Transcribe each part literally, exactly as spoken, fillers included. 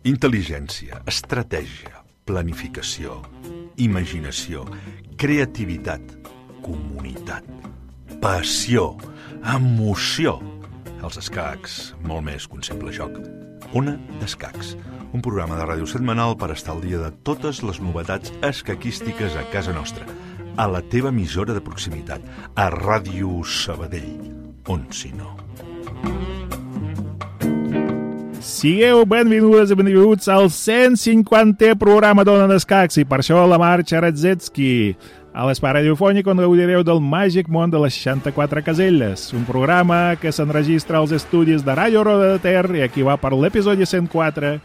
Intel·ligència, estratègia, planificació, imaginació, creativitat, comunitat, passió, emoció. Els escacs, molt més que un simple joc. Ona d'Escacs, un programa de ràdio setmanal per estar al dia de totes les novetats escaquístiques a casa nostra, a la teva emissora de proximitat, a Ràdio Sabadell, on si no. Sigueu benvingudes i benvinguts al cent cinquantè programa d'Ona d'Escacs i per això la Marxa Radzetski. A l'espai radiofònic on gaudireu del màgic món de les seixanta-quatre caselles, un programa que s'enregistra als estudis de Ràdio Roda de Ter i aquí va per l'episodi cent quatre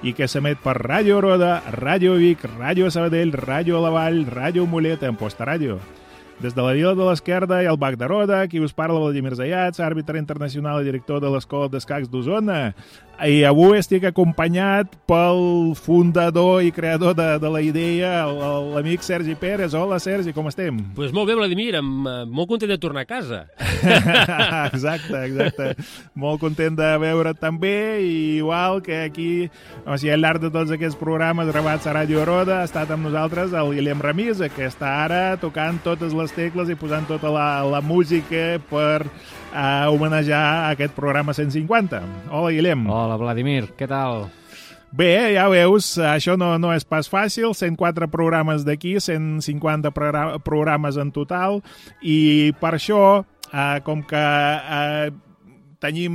i que s'emet per Ràdio Roda, Ràdio Vic, Ràdio Sabadell, Ràdio La Vall, Ràdio Mollet, en Posta-Ràdio. Des de la Vila de l'Esquerda i el Bac de Roda, qui us parla Vladimir Zayats, àrbitre internacional i director de l'Escola d'Escacs d'Osona. I avui estic acompanyat pel fundador i creador de, de la idea, l'amic Sergi Pérez. Hola, Sergi, com estem? Doncs pues molt bé, Vladimir, amb, molt content de tornar a casa. Exacte, exacte. Molt content de veure't també, i igual que aquí, o sigui, al llarg de tots aquests programes gravats a Ràdio Roda, ha estat amb nosaltres el Guillem Ramisa, que està ara tocant totes les tecles i posant tota la, la música per uh, homenajar aquest programa cent cinquanta. Hola, Guillem. Hola, Vladimir, què tal? Bé, ja veus, això no, no és pas fàcil, cent quatre programes d'aquí, cent cinquanta programes en total, i per això, uh, com que uh, tenim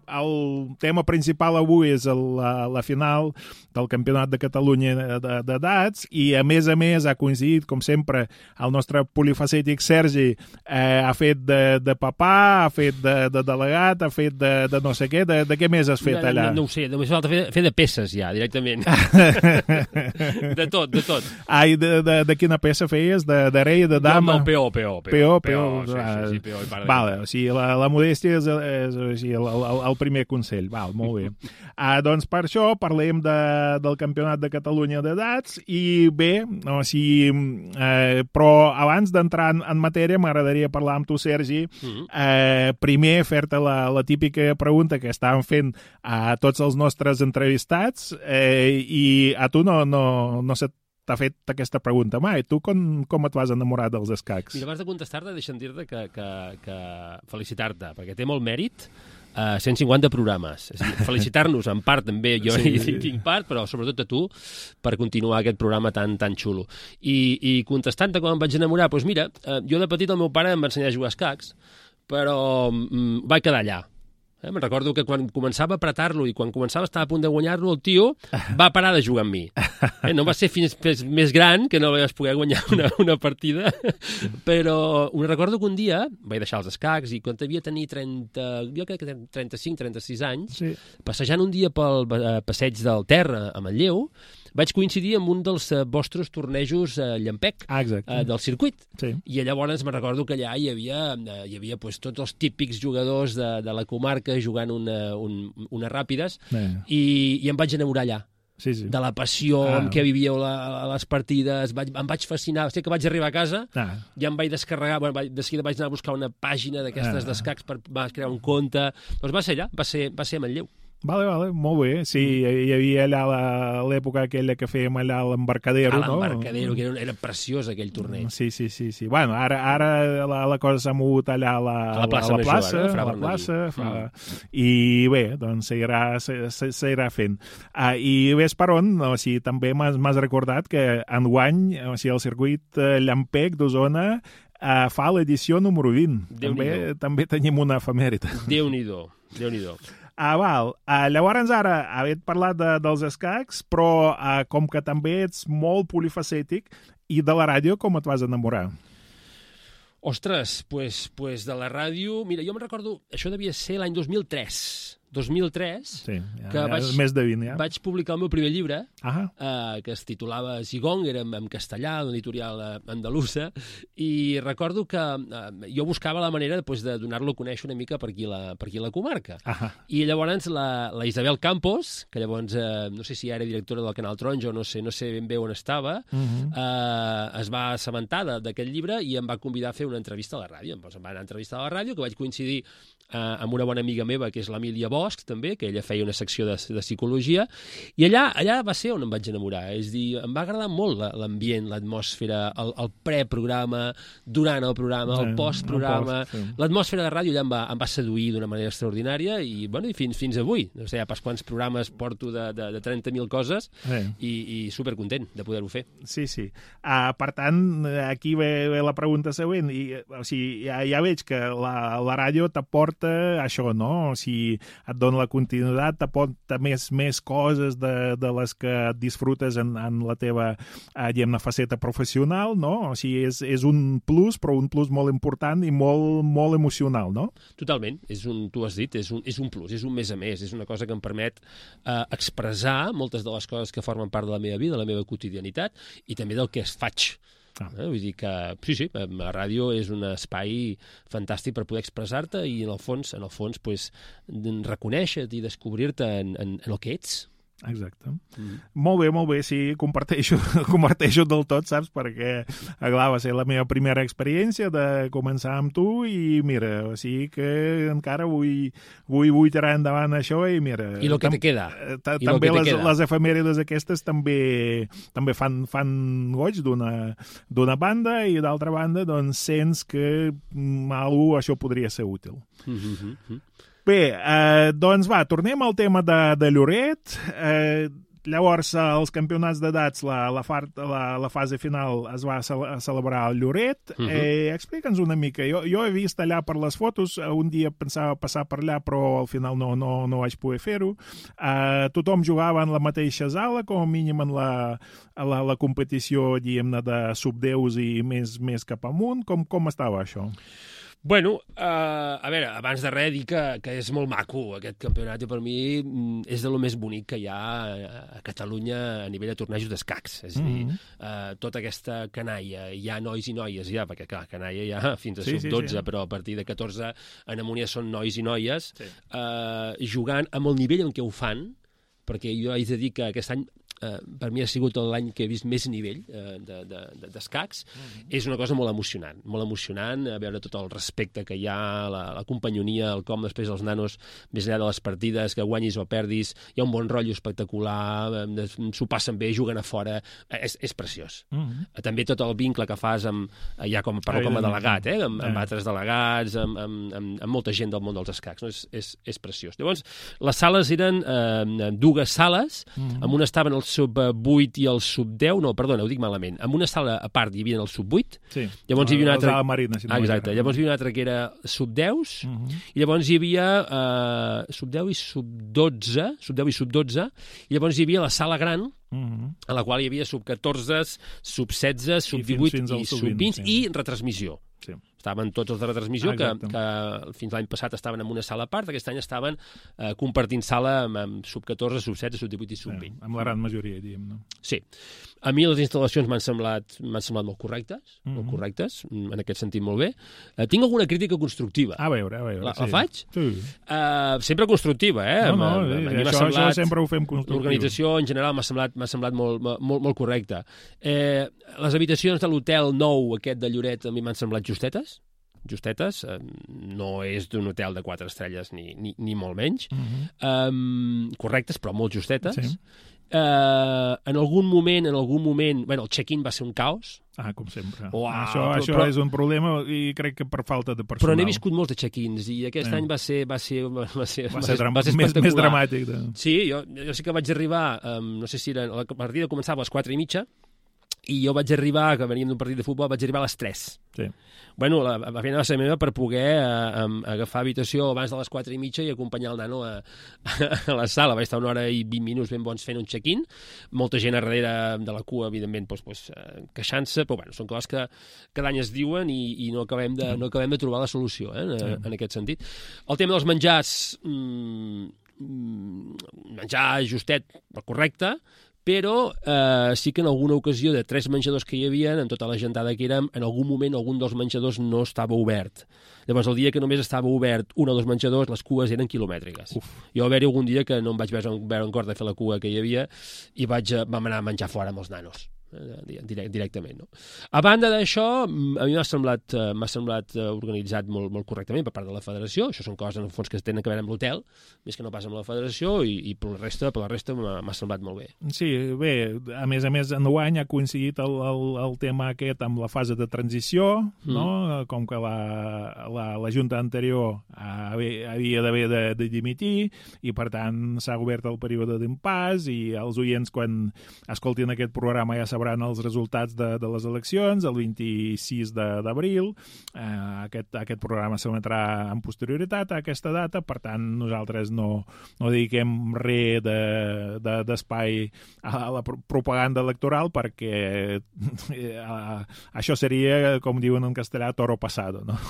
el tema principal avui és el, la, la final del Campionat de Catalunya d'edats i, a més a més, ha coincidit, com sempre, el nostre polifacètic Sergi eh, ha fet de, de papà, ha fet de, de delegat, ha fet de, de no sé què. De, de què més has fet allà? No, no, no ho sé, només falta fer, fer de peces ja, directament. De tot, de tot. Ai, de, de, de quina peça feies? De, de rei, de dama? No, no, peó, peó. Peó, peó. Sí, sí, sí, peó i para. Vale, o sigui, la, la modèstia és, és, és el, el, el primer consell. Val, molt bé. Ah, doncs per això parlem de del Campionat de Catalunya d'edats i bé, o sigui, eh, però abans d'entrar en, en matèria m'agradaria parlar amb tu, Sergi, eh, primer fer-te la, la típica pregunta que estàvem fent a tots els nostres entrevistats eh, i a tu no, no, no se t'ha fet aquesta pregunta mai. Tu com, com et vas enamorar dels escacs? Mira, abans de contestar-te, deixa'm dir-te que, que, que felicitar-te, perquè té molt mèrit Uh, cent cinquanta programes. És a dir, felicitar-nos en part també, jo sí, hi tinc part, però sobretot a tu, per continuar aquest programa tan tan xulo. I, i contestant-te com em vaig enamorar, doncs mira, uh, jo de petit el meu pare em va ensenyar a jugar a escacs, però um, vaig quedar allà. Eh? Me'n recordo que quan començava a apretar-lo i quan començava a estar a punt de guanyar-lo, el tio va parar de jugar amb mi. Eh? No va ser fins, fins més gran que no vaig poder guanyar una, una partida, però ho recordo que un dia vaig deixar els escacs i quan devia tenir trenta, jo crec que trenta-cinc trenta-sis anys, sí. Passejant un dia pel passeig del Ter a Manlleu, vaig coincidir amb un dels uh, vostres tornejos uh, Llampec, ah, uh, del circuit. Sí. I llavors me recordo que allà hi havia, uh, hi havia pues, tots els típics jugadors de, de la comarca jugant una, un, unes ràpides eh. i, i em vaig enamorar allà. Sí, sí. De la passió ah. amb què vivíeu la, les partides, vaig, em vaig fascinar. Sé que vaig arribar a casa, ah. ja em vaig descarregar, bueno, vaig, de seguida vaig anar a buscar una pàgina d'aquestes ah. d'escacs per va crear un compte. Doncs va ser allà, va ser, va ser a Manlleu. Vale, vale, molt bé. Sí, hi havia allà l'època aquella que fèiem allà a l'Embarcadero, no? A l'Embarcadero, que era, era preciós aquell torneig. Sí, sí, sí. sí. Bueno, ara, ara la, la cosa s'ha mogut allà a la, a la plaça, a la plaça, major, eh? a la plaça fa... mm. i bé, doncs s'irà fent. Uh, I ves per on, o sigui, també m'has recordat que enguany, o sigui, el circuit Llampec d'Osona uh, fa l'edició número vint. També, també tenim una efemèride. Déu-n'hi-do, Déu-n'hi-do. Ah, val. Uh, llavors ara, havent parlat de, dels escacs, però uh, com que també ets molt polifacètic, i de la ràdio com et vas enamorar? Ostres, pues, pues de la ràdio... Mira, jo me'n recordo, això devia ser l'any dos mil tres. dos mil tres, sí, ja, que ja, vaig, més de vint, ja. vaig publicar el meu primer llibre, ah. eh, que es titulava Zigong, era en, en castellà, d'una editorial andalusa, i recordo que eh, jo buscava la manera pues, de donar-lo a conèixer una mica per aquí la, per aquí la comarca. Ah. I llavors la, la Isabel Campos, que llavors eh, no sé si era directora del Canal Taronja o no sé, no sé ben bé on estava, uh -huh. eh, es va assabentar d'aquest llibre i em va convidar a fer una entrevista a la ràdio. Em va anar a entrevistar a la ràdio, que vaig coincidir eh, amb una bona amiga meva, que és l'Emília Bosch, també, que ella feia una secció de, de psicologia, i allà allà va ser on em vaig enamorar. És dir, em va agradar molt l'ambient, l'atmosfera, el, el preprograma, durant el programa, el postprograma. Sí. L'atmosfera de ràdio allà em va, em va seduir d'una manera extraordinària i, bueno, i fins, fins avui. No sé, pas quants programes porto de, de, de trenta mil coses sí. i, i supercontent de poder-ho fer. Sí, sí. Uh, per tant, aquí ve, ve la pregunta següent. I, o sigui, ja, ja veig que la, la ràdio t'aporta això, no? O sigui, et dona la continuïtat, t'aporta més, més coses de, de les que disfrutes en, en la teva uh, faceta professional, no? O sigui, és, és un plus, però un plus molt important i molt, molt emocional, no? Totalment. És un, tu has dit, és un, és un plus, és un més a més, és una cosa que em permet eh, expressar moltes de les coses que formen part de la meva vida, de la meva quotidianitat i també del que es faig. Ah. Eh? Vull dir que, sí, sí, la ràdio és un espai fantàstic per poder expressar-te i, en el fons, en el fons pues, reconèixer-te i descobrir-te en, en, en el que ets. Exacte. Mm. Molt bé, molt bé, sí, comparteixo, comparteixo del tot, saps? Perquè, clar, va ser la meva primera experiència de començar amb tu i, mira, o sigui que encara vull, vull, vull tirar endavant això i, mira... I el que te queda. També les, les efemèrides aquestes també també fan, fan goig d'una banda i, d'altra banda, doncs sents que algú això podria ser útil. Mm-hmm. Bé, eh, doncs va, tornem al tema de, de Lloret. Eh, llavors, els campionats d'edats, la, la, la, la fase final es va a celebrar al Lloret. Uh-huh. eh, Explica'ns una mica. Jo, jo he vist allà per les fotos, un dia pensava passar per allà, però al final no, no, no vaig poder fer-ho. Eh, tothom jugava en la mateixa sala, com a mínim en la, la, la competició, diguem-ne, de sub deu i més, més cap amunt. Com, com estava això? Bueno, uh, a veure, abans de res dir que, que és molt maco aquest campionat i per mi és de lo més bonic que hi ha a Catalunya a nivell de tornejos d'escacs. És a dir, mm-hmm. uh, tota aquesta canalla, hi ha nois i noies ja, perquè clar, canalla hi ha fins a sí, sub dotze, sí, sí. Però a partir de catorze en amunt ja són nois i noies, sí. uh, jugant amb el nivell en què ho fan, perquè jo haig de dir que aquest any Uh, per mi ha sigut l'any que he vist més nivell uh, d'escacs. De, de, mm-hmm. És una cosa molt emocionant, molt emocionant, a veure tot el respecte que hi ha, la, la companyonia, el com després els nanos, més enllà de les partides, que guanyis o perdis, hi ha un bon rotllo espectacular, s'ho passen bé, juguen a fora, és, és preciós. Mm-hmm. Uh, també tot el vincle que fas amb, ja com, parlo com a delegat, eh, amb, amb altres delegats, amb, amb, amb, amb molta gent del món dels escacs, no? és, és, és preciós. Llavors, les sales eren uh, dues sales, mm-hmm. amb una estaven els sub vuit i el sub deu, no, perdona, ho dic malament. En una sala a part hi havia el sub vuit, sí. Llavors hi havia una altra... Marina, si no ah, exacte, llavors hi havia una altra que era sub deu, uh-huh. I llavors hi havia uh, sub deu i sub dotze, sub deu i sub dotze, i llavors hi havia la sala gran, uh-huh. A la qual hi havia sub catorze, sub setze, sub divuit i, i sub vint, sí. I retransmissió. Sí. Estaven tots els de retransmissió, ah, que, que fins l'any passat estaven en una sala a part, aquest any estaven eh, compartint sala amb, amb sub catorze, sub setze, sub divuit i sub vint. Sí, amb la gran majoria, diguem, no? Sí. A mi les instal·lacions m'han semblat, m'han semblat molt correctes, mm-hmm. molt correctes, en aquest sentit molt bé. Uh, tinc alguna crítica constructiva. A veure, a veure. La, sí. la faig? Sí. Uh, sempre constructiva, eh? No, no, sí, a mi això, semblat, això sempre ho fem constructiu. L'organització, en general, m'ha semblat, m'ha semblat molt, molt, molt correcta. Eh, les habitacions de l'hotel nou, aquest de Lloret, a mi m'han semblat justetes, justetes, eh, no és d'un hotel de quatre estrelles ni, ni, ni molt menys, mm-hmm. um, correctes, però molt justetes. Sí. Uh, en algun moment, en algun moment, bueno, el check-in va ser un caos. Ah, com sempre. Uau, això però, això però, és un problema i crec que per falta de personal. Però n'he viscut molts de check-ins i aquest eh. any va ser, va ser, va ser, va ser, va ser més, més dramàtic. De... Sí, jo, jo sí que vaig arribar, um, no sé si era, la partida començava a les quatre i mitja, i jo vaig arribar, que veníem d'un partit de futbol, vaig arribar a les tres. Sí. Bueno, la, la feina va ser meva per poder eh, agafar habitació abans de les quatre i mitja i acompanyar el nano a, a la sala. Vaig estar una hora i vint minuts ben bons fent un check-in. Molta gent a darrere de la cua, evidentment, doncs, doncs, eh, queixant-se, però bueno, són coses que cada any es diuen i, i no, acabem de, no acabem de trobar la solució eh, en, sí. en aquest sentit. El tema dels menjars, mmm, menjar justet, el correcte, però eh, sí que en alguna ocasió de tres menjadors que hi havia, en tota la gentada que érem, en algun moment algun dels menjadors no estava obert. Llavors, el dia que només estava obert un o dos menjadors, les cues eren quilomètriques. Uf. Jo va haver-hi algun dia que no em vaig veure, veure en cor de fer la cua que hi havia i vaig, vam anar a menjar fora amb els nanos. Direct, directament, no? A banda d'això, a mi m'ha semblat, m'ha semblat organitzat molt, molt correctament per part de la federació. Això són coses, en el fons, que tenen a veure amb l'hotel, més que no pas amb la federació, i, i per la resta, per la resta m'ha semblat molt bé. Sí, bé, a més a més, enguany ha coincidit el, el, el tema aquest amb la fase de transició, mm. no? Com que la, la, la Junta anterior havia d'haver de, de dimitir, i per tant s'ha obert el període d'impàs, i els oients, quan escoltin aquest programa, ja sabran els resultats de, de les eleccions, el vint-i-sis d'abril. Eh, aquest, aquest programa s'emetrà amb posterioritat a aquesta data, per tant, nosaltres no, no dediquem res de, de, d'espai a la propaganda electoral, perquè eh, això seria, com diuen en castellà, toro pasado, no?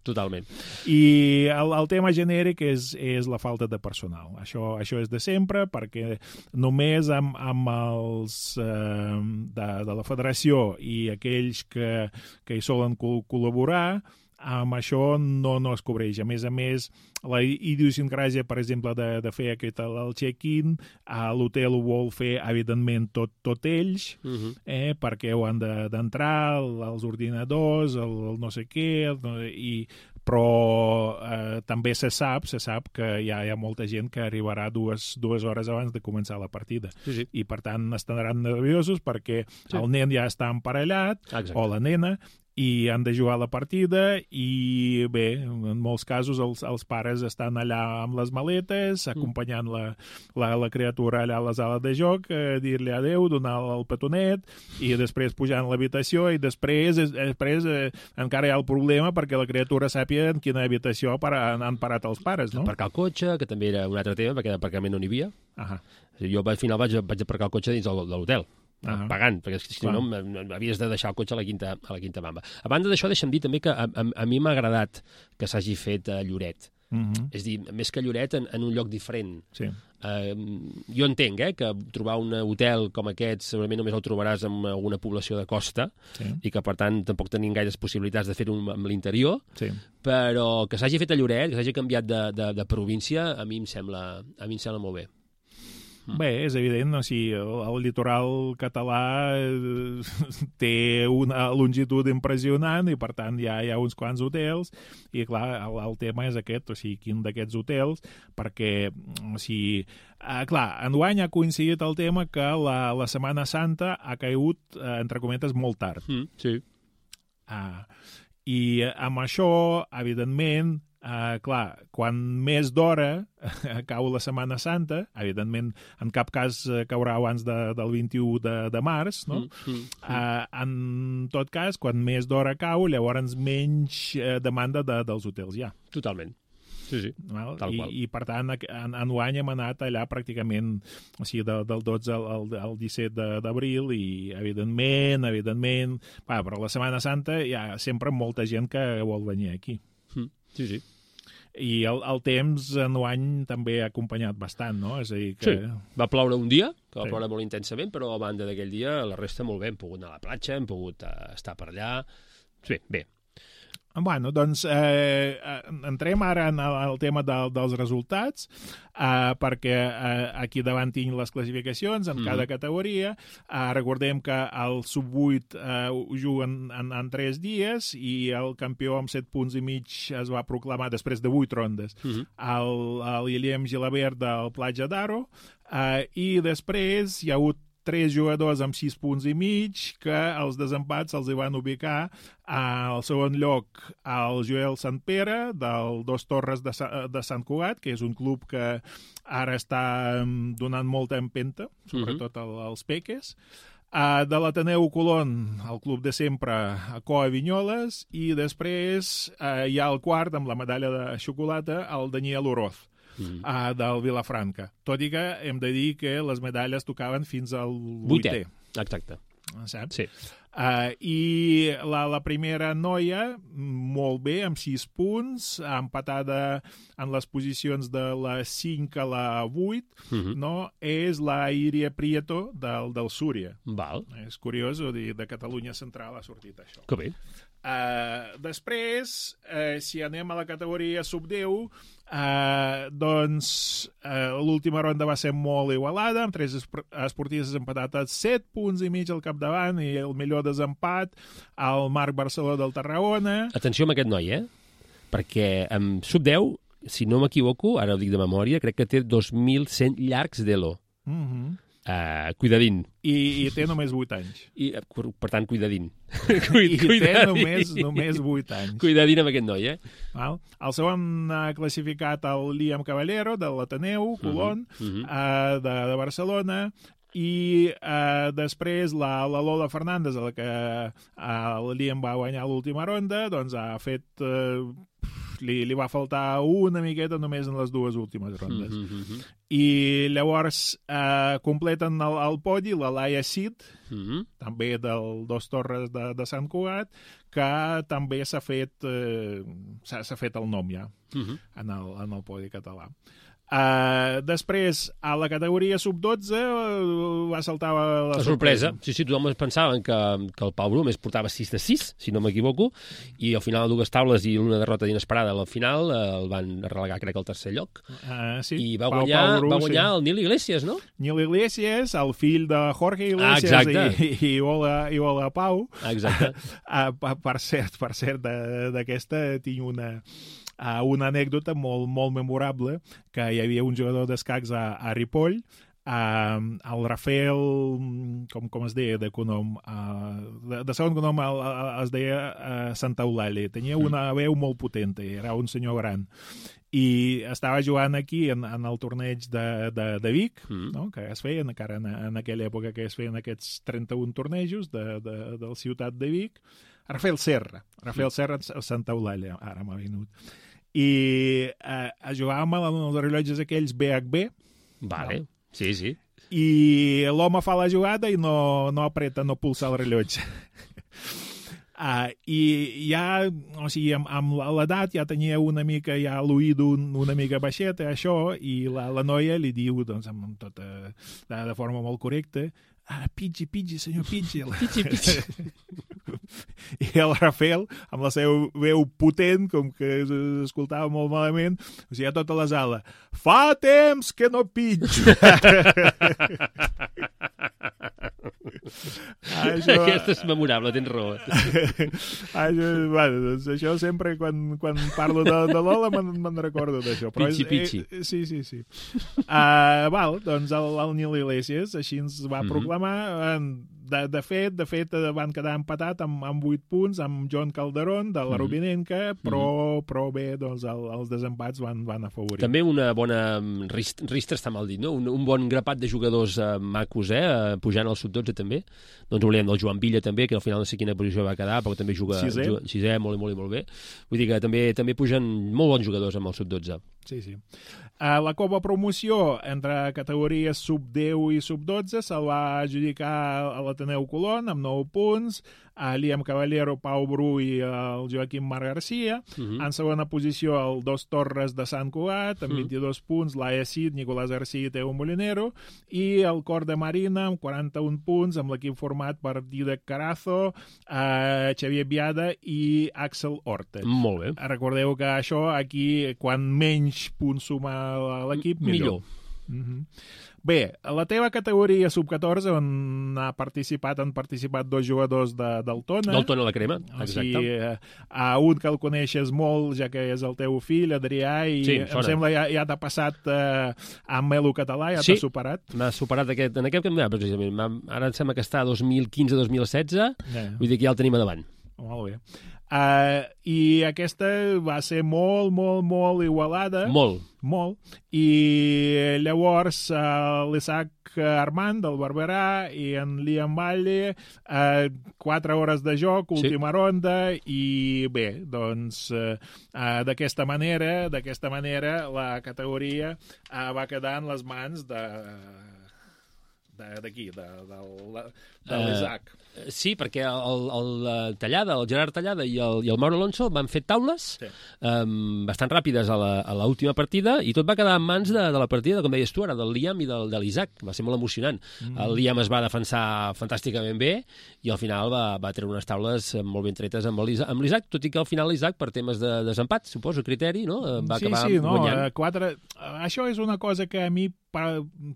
Totalment. I el, el tema genèric és, és la falta de personal. Això, això és de sempre, perquè només amb, amb els eh, de, de la federació i aquells que, que hi solen col·laborar, amb això no, no es cobreix. A més a més, la idiosincràsia, per exemple, de, de fer aquest, el check-in, a l'hotel ho vol fer, evidentment, tot, tot ells, uh-huh. eh, perquè ho han d'entrar, de, els ordinadors, el, el no sé què, el, i però eh, també se sap se sap que hi ha, hi ha molta gent que arribarà dues, dues hores abans de començar la partida. Sí, sí. I, per tant, estaran nerviosos perquè sí. el nen ja està emparellat, exacte. O la nena, i han de jugar la partida, i bé, en molts casos els, els pares estan allà amb les maletes, acompanyant la, la, la criatura allà a la sala de joc, eh, dir-li adeu, donar el petonet, i després pujar a l'habitació, i després, després eh, encara hi ha el problema perquè la criatura sàpiga en quina habitació para, han parat els pares, no? Aparcar el cotxe, que també era un altre tema, perquè d'aparcament no n'hi havia. Uh-huh. Jo al final vaig, vaig aparcar el cotxe dins de l'hotel. Uh-huh. Pagant, perquè si Clar. no havies de deixar el cotxe a la quinta, a la quinta bamba. A banda d'això, deixa'm dir també que a, a, a mi m'ha agradat que s'hagi fet a Lloret. Uh-huh. És dir, més que Lloret, en, en un lloc diferent. Sí. Uh, jo entenc eh, que trobar un hotel com aquest segurament només el trobaràs en alguna població de costa, sí. i que, per tant, tampoc tenim gaires possibilitats de fer-ho amb l'interior, sí. però que s'hagi fet a Lloret, que s'hagi canviat de, de, de província, a mi em sembla, a mi em sembla molt bé. Bé, és evident, o sigui, el, el litoral català eh, té una longitud impressionant i, per tant, hi ha, hi ha uns quants hotels i, clar, el, el tema és aquest, o sigui, quin d'aquests hotels, perquè, o sigui, eh, clar, enguany ha coincidit el tema que la, la Setmana Santa ha caigut, eh, entre cometes, molt tard. Mm, sí. Ah, i amb això, evidentment, Uh, clar, quan més d'hora cau la Setmana Santa, evidentment en cap cas caurà abans de, del vint-i-u de, de març, no? Mm, mm, mm. Uh, en tot cas, quan més d'hora cau, llavors menys uh, demanda de, dels hotels hi ha. Totalment. Sí, sí, Val? tal I, qual. I, per tant, en, enguany hem anat allà pràcticament, o sigui, del, del dotze al, al, al disset d'abril, i evidentment, evidentment, va, però la Setmana Santa hi ha sempre molta gent que vol venir aquí. Mm, sí, sí. I el, el temps enguany també ha acompanyat bastant, no? És a dir que... Sí, va ploure un dia, que va sí. ploure molt intensament, però a banda d'aquell dia, la resta molt bé. Hem pogut anar a la platja, hem pogut uh, estar per allà... Sí, bé. Bueno, doncs eh, entrem ara en el, el tema de, dels resultats, eh, perquè eh, aquí davant tinc les classificacions en mm. cada categoria. Eh, recordem que el sub vuit eh, ho juguen en, en tres dies i el campió amb set punts i mig es va proclamar després de vuit rondes. Mm-hmm. El, el Guillem Gilabert del Platja d'Aro, eh, i després hi ha hagut tres jugadors amb sis punts i mig que els desempats els hi van ubicar al segon lloc el Joel Sant Pere del Dos Torres de, Sa de Sant Cugat, que és un club que ara està donant molta empenta, sobretot uh-huh. als peques. Uh, de l'Ateneu Colón, el club de sempre, a Coa Vinyoles, i després uh, hi ha el quart, amb la medalla de xocolata, el Daniel Oroz, mm. uh, del Vilafranca. Tot i que hem de dir que les medalles tocaven fins al vuitè. Exacte. Saps? Sí. Uh, I la, la primera noia, molt bé, amb sis punts, empatada en les posicions de la cinc a la vuit, uh-huh. no? És la Iria Prieto del, del Súria. Val. És curiós, o dir, de Catalunya Central ha sortit això. Que bé. Uh, després, uh, si anem a la categoria sub deu, uh, doncs uh, l'última ronda va ser molt igualada, amb tres esportistes empatats a set punts i mig al capdavant, i el millor desempat al Marc Barceló del Tarragona. Atenció amb aquest noi, eh? Perquè amb sub deu, si no m'equivoco, ara ho dic de memòria, crec que té dos mil cent llargs d'elo. Mhm. Uh, cuidadín. I, I té només vuit anys. I, per tant, cuidadín. Cuid, I cuidadín. Té només, només vuit anys. Cuidadín amb aquest noi, eh? Val. El segon ha classificat el Liam Caballero, de l'Ateneu, Colón, uh -huh. uh -huh. uh, de, de Barcelona, i uh, després la, la Lola Fernández, a la que uh, el Liam va guanyar l'última ronda, doncs ha fet... Uh, Li, li va faltar una miqueta només en les dues últimes rondes. Mm -hmm. I llavors eh, completen el, el podi la Laia Cid, mm -hmm. també del Dos Torres de, de Sant Cugat, que també s'ha fet, eh, s'ha fet el nom ja mm -hmm. en, el, en el podi català. Uh, després, a la categoria sub dotze uh, va saltar la, la sorpresa. sorpresa. Sí, sí, tothom es pensaven que, que el Pau Bru més portava sis de sis, si no m'equivoco, i al final dues taules i una derrota inesperada al final uh, el van relegar, crec, al tercer lloc. Uh, sí. I va Pau, guanyar, Pau Bru, va guanyar sí. el Nil Iglesias, no? Nil Iglesias, el fill de Jorge Iglesias ah, i, i, Ola, i Ola Pau. Exacte. uh, per cert, per cert, d'aquesta tinc una... Uh, una anècdota molt, molt memorable, que hi havia un jugador d'escacs a, a Ripoll, uh, el Rafael, com, com es deia de cognom, uh, de, de segon cognom el, el, es deia uh, Santa Eulàlia, tenia una veu molt potent, era un senyor gran, i estava jugant aquí en, en el torneig de, de, de Vic, mm. no? Que es feien, encara en, en aquella època que es feien aquests trenta-un tornejos de, de, de la ciutat de Vic, Rafael Serra, Rafael Serra a Santa Eulàlia, ara m'ha vingut. I eh, jugàvem amb els rellotges aquells B H B. Vale, no? Sí, sí. I l'home fa la jugada i no, no apreta, no pulsa el rellotge. uh, I ja, o sigui, amb, amb l'edat ja tenia una mica, ja l'oïd un, una mica baixet, això, i la, la noia li diu, doncs, amb tota, de, de forma molt correcta, ah, Pidgey, Pidgey, senyor Pidgey. Pidgey, Pidgey. I el Rafael, amb la seva veu potent, com que escoltava molt malament, o sigui, a tota la sala, fa temps que no pitjo. Això... Aquesta és memorable, tens raó. això, bueno, doncs això sempre, quan, quan parlo de, de Lola, me'n me recordo d'això. Pitxi, pitxi. Eh, sí, sí, sí. Uh, val, doncs el, el Nil Iglesias així ens va mm-hmm. proclamar... De, de fet, de fet, van quedar empatat amb, amb vuit punts, amb John Calderón, de la Rubinenca, mm-hmm. però, però bé, doncs el, els desempats van, van afavorir. També una bona... Ristra està mal dit, no? Un, un bon grapat de jugadors eh, macos, eh? Pujant al sub dotze, també. No ens oblidem del Joan Villa, també, que al final no sé quina posició va quedar, però també juga... Sisè. Juga, sisè, molt, molt, molt bé. Vull dir que també, també pugen molt bons jugadors amb el sub dotze. Sí, sí. Uh, la Copa Promoció, entre categories sub deu i sub dotze, se'l va adjudicar a l'Ateneu Colón, amb nou punts, a Liam Caballero, Pau Bru i el Joaquim Marc Garcia. Uh-huh. En segona posició, el Dos Torres de Sant Cugat, amb uh-huh. vint-i-dos punts, Laia Cid, Nicolás Garcia i Teo Molinero, i el Cor de Marina, amb quaranta-un punts, amb l'equip format per Didac Carazo, uh, Xavier Biada i Axel Horta. Molt bé. Recordeu que això, aquí, quan menys punts suma l'equip, millor. Millor. Mm-hmm. Bé, a la teva categoria sub catorze, on ha participat, han participat dos jugadors de, del Tona. Del Tona la Crema, exacte. O sigui, a un que el coneixes molt, ja que és el teu fill, Adrià, i sí, em sona. Sembla ja, ja t'ha passat eh, amb Melo Català, ja sí, t'ha superat. M'ha superat aquest, en aquest campionat, precisament. Ara em sembla que està a dos mil quinze dos mil setze, yeah. Vull dir que ja el tenim a davant. Molt bé. Uh, I aquesta va ser molt, molt, molt igualada. Molt. Molt. I llavors uh, l'Isaac Armand, del Barberà, i en Liam Valle, uh, quatre hores de joc, última sí. ronda, i bé, doncs uh, uh, d'aquesta manera, d'aquesta manera la categoria uh, va quedar en les mans de... d'aquí, de, de, de, de l'Isaac. Uh, sí, perquè el, el Tallada, el Gerard Tallada i el, i el Mauro Alonso van fer taules sí. um, bastant ràpides a l'última partida i tot va quedar en mans de, de la partida, com deies tu ara, del Liam i del, de l'Isaac. Va ser molt emocionant. Mm. El Liam es va defensar fantàsticament bé i al final va, va treure unes taules molt ben tretes amb l'Isaac, tot i que al final l'Isaac, per temes de desempat, suposo, criteri, no? va sí, acabar sí, no, guanyant. Quatre... Això és una cosa que a mi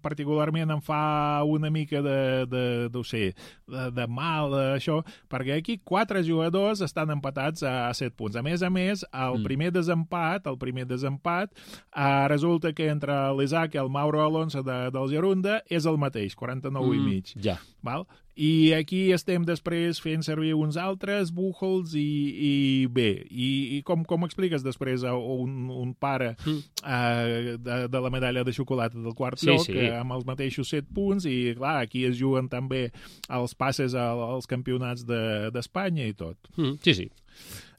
particularment em fa una mica de, de, de, sé, de, de mal, això, perquè aquí quatre jugadors estan empatats a set punts. A més a més, el mm. primer desempat, el primer desempat, eh, resulta que entre l'Isaac i el Mauro Alonso de, del Gerunda és el mateix, quaranta-nou mm, i mig. Ja. Val? I aquí estem després fent servir uns altres Buchholz i, i bé, i, i com, com expliques després a un, un pare mm. uh, de, de la medalla de xocolata del quart sí, lloc sí. Uh, amb els mateixos set punts i clar, aquí es juguen també els passes als campionats d'Espanya de, i tot. Mm. Sí, sí.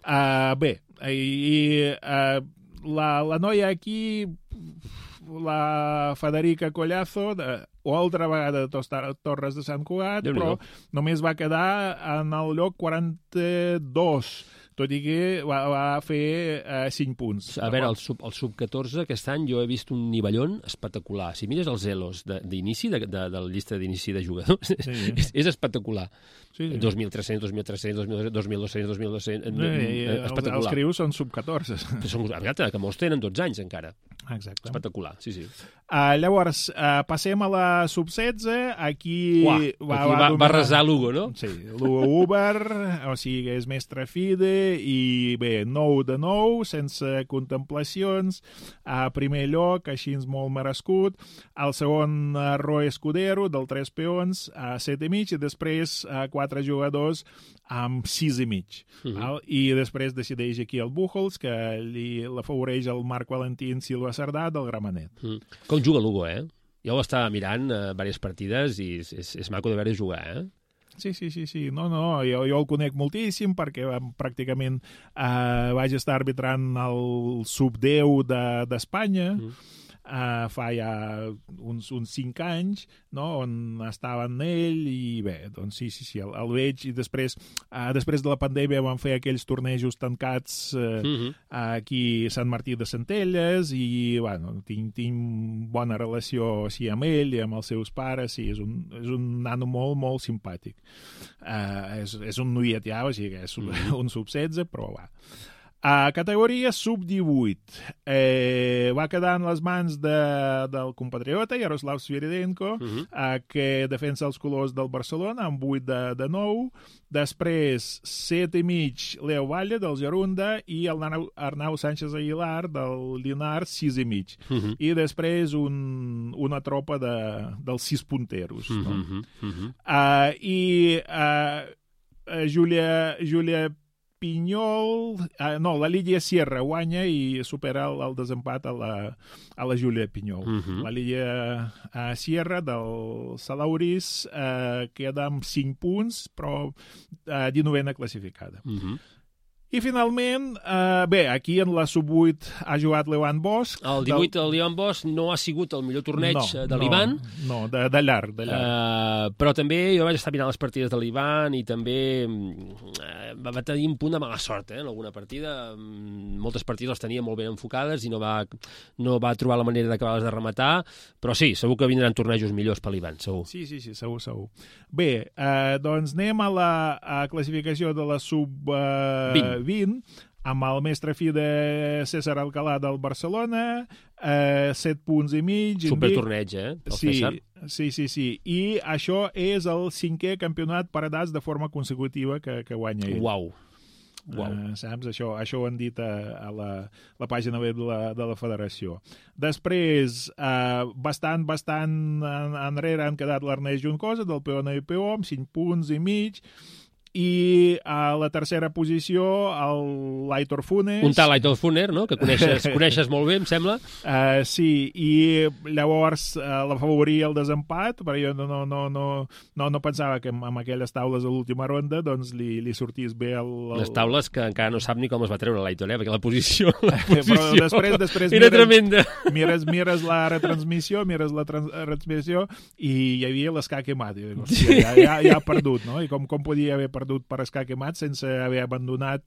Uh, bé, i uh, la, la noia aquí... la Federica Collazo, de, o altra vegada de Torres de Sant Cugat, però només va quedar en el lloc quaranta-dos, tot i que va, va fer eh, cinc punts. A veure, el sub, el sub catorze aquest any jo he vist un nivellón espectacular. Si mires els elos d'inici, de, de, de la llista d'inici de jugadors, sí. és, és espectacular. Sí, sí. dos mil tres-cents, dos mil tres-cents, dos mil dos-cents, dos mil dos-cents... Sí, espectacular. Els crius són sub catorze. Són, exacte, que molts tenen dotze anys encara. Exacte. Espectacular, sí, sí. Uh, llavors, uh, passem a la sub setze. Aquí, Uah, va, aquí va, va, va resar Lugo, no? Sí, Lugo Uber, o sigui, és mestre fide, i bé, nou de nou, sense contemplacions. A uh, primer lloc, així molt merescut. El segon, uh, Roy Escudero, del tres peons, a uh, set i mig, i després uh, quatre jugadors amb sis i mig. Uh -huh. I després decideix aquí el Buchholz, que li l'afavoreix el Marc Valentín Silva Cerdà del Gramenet. Uh -huh. Com juga Lugo, eh? Jo ho estava mirant eh, diverses partides i és, és, és maco de veure jugar, eh? Sí, sí, sí, sí. No, no, jo, jo el conec moltíssim perquè pràcticament eh, vaig estar arbitrant el sub deu d'Espanya, de, uh -huh. Uh, fa ja uns, uns cinc anys, no?, on estava en ell, i bé, doncs sí, sí, sí, el, el veig, i després, uh, després de la pandèmia van fer aquells tornejos tancats uh, uh -huh. aquí a Sant Martí de Centelles, i, bueno, tinc, tinc bona relació així amb ell i amb els seus pares, sí, és un, és un nano molt, molt simpàtic. Uh, és, és un noiet ja, o sigui, és un, uh -huh. un sub setze, però va. A categoria sub divuit eh, va quedar en les mans de, del compatriota Yaroslav Sviridenko, uh -huh. eh, que defensa els colors del Barcelona amb vuit de, de nou. Després set i mig Leo Valle del Gerunda i el Arnau, Arnau Sánchez Aguilar del Llinars sis i mig. Uh -huh. I després un, una tropa de, dels sis punteros. No? Uh -huh. Uh -huh. Uh, I uh, Júlia Júlia Pinyol, uh, no, la Lídia Sierra guanya i supera el, el desempat a la, a la Júlia Pinyol. Uh -huh. La Lídia uh, Sierra del Salauris uh, queda amb cinc punts, però uh, dinovena classificada. Uh -huh. I finalment, eh, bé, aquí en la sub vuit ha jugat l'Ivan Bosch. El divuit, del... l'Ivan Bosch no ha sigut el millor torneig no, de l'Ivan. No, no, de, de llarg, de llarg. Uh, però també jo vaig estar mirant les partides de l'Ivan i també uh, va tenir un punt de mala sort, eh, en alguna partida. Moltes partides les tenia molt ben enfocades i no va, no va trobar la manera d'acabar-les de rematar, però sí, segur que vindran tornejos millors per l'Ivan, segur. Sí, sí, sí, segur, segur. Bé, eh, doncs anem a la a classificació de la sub eh, vint. vint, amb el mestre fi de César Alcalá del Barcelona, eh, set punts i mig. Supertorneig, eh? El sí, César. sí, sí, sí. I això és el cinquè campionat per edats de forma consecutiva que, que guanya ell. Uau. Wow. Uh, saps? Això, això ho han dit a, a la, la pàgina web de la, de la federació. Després, uh, bastant, bastant en, enrere han quedat l'Ernest Juncosa del Peona i Peó amb cinc punts i mig. i a la tercera posició el L'Aitor Funes. Un tal L'Aitor Funes, no? Que coneixes, coneixes molt bé, em sembla. Uh, sí, i llavors uh, la favoria el desempat, però jo no, no, no, no, no, no pensava que amb, amb aquelles taules a l'última ronda doncs li, li sortís bé el, el... Les taules que encara no sap ni com es va treure l'Aitor, eh? Perquè la posició, la posició però després, després era mires, tremenda. Mires, mires la retransmissió, mires la trans, retransmissió i hi havia l'escac Emat. I dic, hòstia, ja, ja, ja ha perdut, no? I com, com podia haver perdut per escac Emat sense haver abandonat?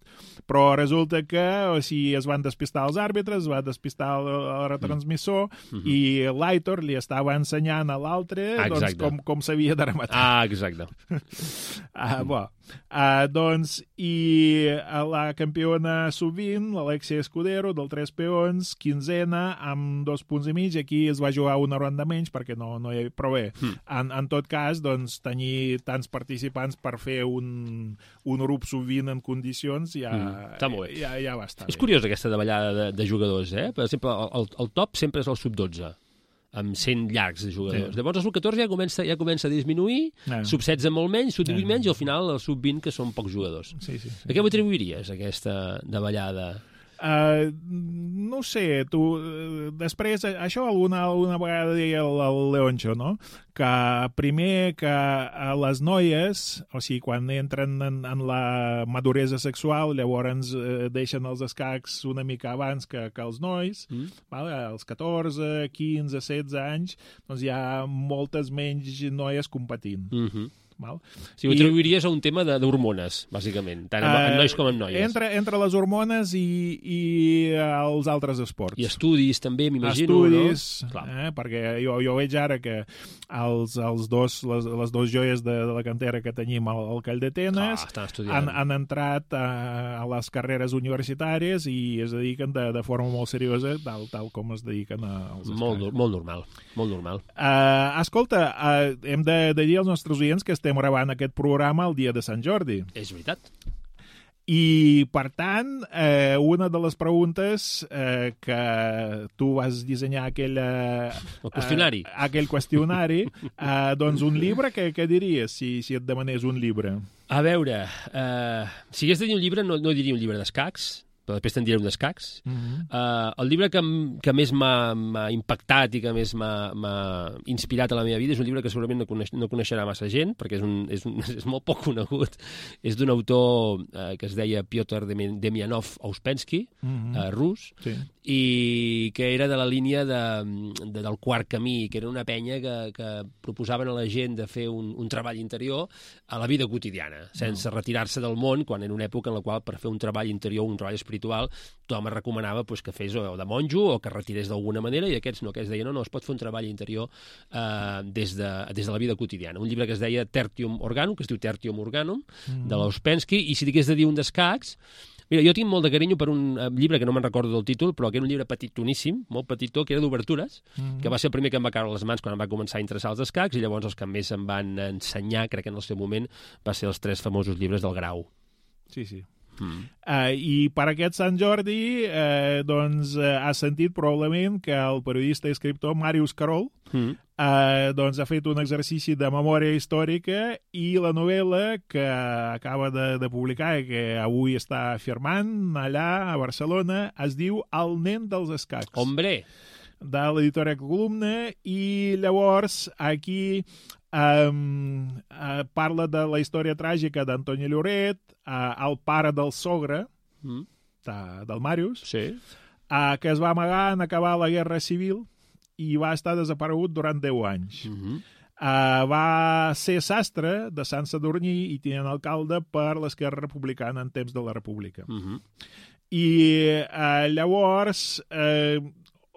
Però resulta que o sigui, es van despistar els àrbitres, es va despistar el, el retransmissor mm -hmm. i l'Aitor li estava ensenyant a l'altre doncs, com, com s'havia de rematar. Ah, exacte. ah, bo. Uh, doncs, i la campiona sub vint, l'Alexia Escudero, del tres peons, quinzena, amb dos punts i mig. Aquí es va jugar una ronda menys perquè no, no hi havia... Però bé, mm. en, en tot cas, doncs, tenir tants participants per fer un, un grup sub vint en condicions ja, mm. Està molt bé. ja, ja va estar És bé. curiós aquesta davallada de, de jugadors, eh? Per exemple, el, el top sempre és el sub dotze. Amb cent llargs de jugadors. Sí. Llavors el sub catorze ja comença, ja comença a disminuir, no. sub setze molt menys, sub divuit no. menys, i al final el sub vint, que són pocs jugadors. Sí, sí, sí. A què ho atribuiries, aquesta davallada? Uh, no sé, tu... Després, això alguna, alguna vegada deia el, el Leoncho, no? Que primer que a les noies, o sigui, quan entren en, en la maduresa sexual, llavors eh, deixen els escacs una mica abans que, que els nois, mm. vale? Als catorze, quinze, setze anys, doncs hi ha moltes menys noies competint. Mhm. Val? Si ho atribuiries a un tema d'hormones, bàsicament, tant en, en nois com en noies. Entre, entre les hormones i, i els altres esports. I estudis també, m'imagino, estudis, no? Eh, perquè jo, jo veig ara que els, els dos, les, les dos joies de, de la cantera que tenim al, al Call d'Atenes han, han entrat a, a les carreres universitàries i es dediquen de, de forma molt seriosa, tal, tal com es dediquen als escacs. Molt, molt normal, molt normal. Uh, escolta, uh, hem de, de dir als nostres oients que estem gravant aquest programa el dia de Sant Jordi. És veritat. I, per tant, eh, una de les preguntes eh, que tu vas dissenyar aquella, el qüestionari. Eh, aquell qüestionari, eh, doncs un llibre, què, què diries si, si et demanés un llibre? A veure, eh, si hagués de dir un llibre, no, no diria un llibre d'escacs, però després te'n diré un d'escacs. Uh-huh. uh, el llibre que, que més m'ha impactat i que més m'ha inspirat a la meva vida és un llibre que segurament no, coneix, no coneixerà massa gent, perquè és, un, és, un, és molt poc conegut. És d'un autor uh, que es deia Piotr Demianov Ouspensky, uh-huh. uh, rus, sí. I que era de la línia de, de, del quart camí, que era una penya que, que proposaven a la gent de fer un, un treball interior a la vida quotidiana, sense uh-huh. retirar-se del món, quan era una època en la qual per fer un treball interior, un treball espiritual, tothom es recomanava pues, que fes o de monjo o que retirés d'alguna manera, i aquests no, aquests deien no, no, es pot fer un treball interior eh, des, de, des de la vida quotidiana. Un llibre que es deia Tertium Organum, que es diu Tertium Organum, mm. de l'Ouspensky, i si digués de dir un d'escacs, mira, jo tinc molt de carinyo per un llibre que no me'n recordo del títol, però que era un llibre petitoníssim, molt petitó, que era d'obertures, mm. que va ser el primer que em va caure a les mans quan em va començar a interessar els escacs, i llavors els que més em van ensenyar, crec que en el seu moment, va ser els tres famosos llibres del Grau. Sí, sí. Mm. Uh, I per aquest Sant Jordi uh, doncs uh, has sentit probablement que el periodista i escriptor Marius Carol mm. uh, doncs ha fet un exercici de memòria històrica i la novel·la que acaba de, de publicar i que avui està firmant allà a Barcelona es diu El nen dels escacs. Hombre! De l'editorial Columna, i llavors aquí um, uh, parla de la història tràgica d'Antoni Lloret, uh, el pare del sogre mm. de, del Màrius, sí. uh, que es va amagar en acabar la Guerra Civil i va estar desaparegut durant deu anys. Mm-hmm. Uh, va ser sastre de Sant Sadurní i tinent alcalde per l'Esquerra Republicana en temps de la República. Mm-hmm. I uh, llavors... Uh,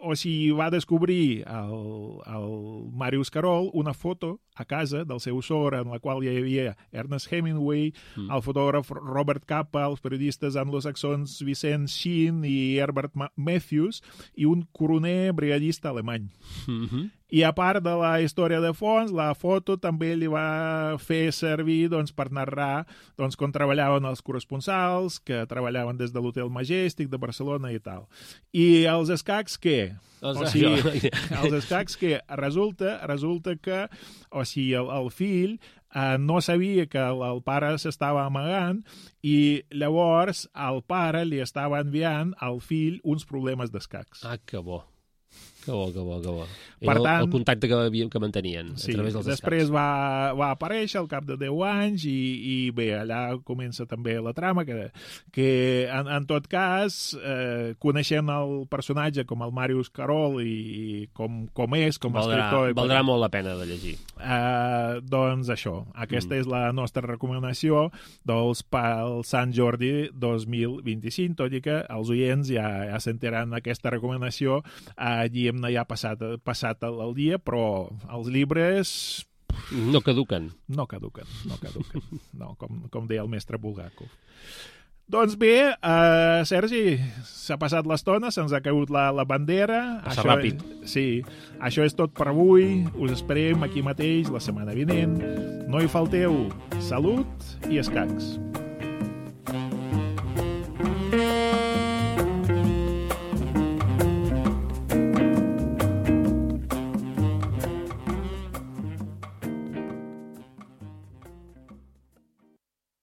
o sigui, va descobrir el, el Marius Carol una foto a casa del seu sogre en la qual hi havia Ernest Hemingway, mm. el fotògraf Robert Capa, els periodistes anglosaxons Vicent Sheen i Herbert Matthews i un coroner brigadista alemany. Mm-hmm. I a part de la història de fons, la foto també li va fer servir doncs, per narrar doncs, com treballaven els corresponsals, que treballaven des de l'Hotel Majestic de Barcelona i tal. I els escacs, què? Els, o sigui, els escacs que resulta, resulta que o sigui, el, el fill eh, no sabia que el, el pare s'estava amagant i llavors el pare li estava enviant al fill uns problemes d'escacs. Ah, que bo. Que bo, que bo, que bo. Per Era tant, el contacte que, que mantenien sí, a través dels després escacs. va, va aparèixer al cap de deu anys i, i bé, allà comença també la trama que, que en, en tot cas, eh, coneixent el personatge com el Màrius Carol i, i com, com és, com a Valdrà, escriptor... valdrà molt la pena de llegir. Eh, doncs això, aquesta Mm. és la nostra recomanació dels pel Sant Jordi dos mil vint-i-cinc, tot i que els oients ja, ja sentiran aquesta recomanació allí hem ja passat, passat el, el dia, però els llibres No caduquen. no caduquen, no caduquen, no, com, com deia el mestre Bulgakov. Doncs bé, uh, Sergi, s'ha passat l'estona, se'ns ha caigut la, la bandera. Passa això, ràpid. Sí, això és tot per avui. Us esperem aquí mateix la setmana vinent. No hi falteu. Salut i escacs.